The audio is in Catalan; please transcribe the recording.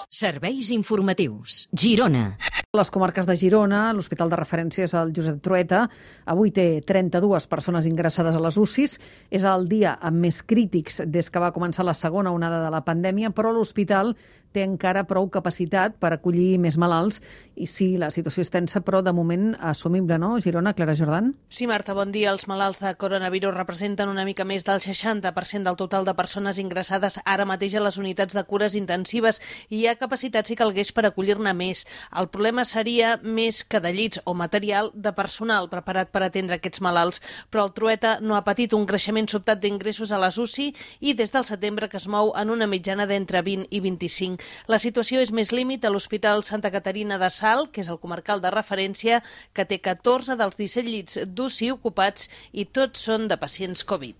Serveis informatius. Girona. Les comarques de Girona, l'hospital de referència és el Josep Trueta. Avui té 32 persones ingressades a les UCIs. És el dia amb més crítics des que va començar la segona onada de la pandèmia, però l'hospital té encara prou capacitat per acollir més malalts. I sí, la situació és tensa, però de moment assumible, no? Girona, Clara Jordan? Sí, Marta, bon dia. Els malalts de coronavirus representen una mica més del 60% del total de persones ingressades ara mateix a les unitats de cures intensives i hi ha capacitat, si calgués, per acollir-ne més. El problema seria més que de llits o material de personal preparat per atendre aquests malalts, però el Trueta no ha patit un creixement sobtat d'ingressos a les UCI i des del setembre que es mou en una mitjana d'entre 20 i 25. La situació és més límit a l'Hospital Santa Caterina de Salt, que és el comarcal de referència, que té 14 dels 17 llits d'UCI ocupats i tots són de pacients Covid.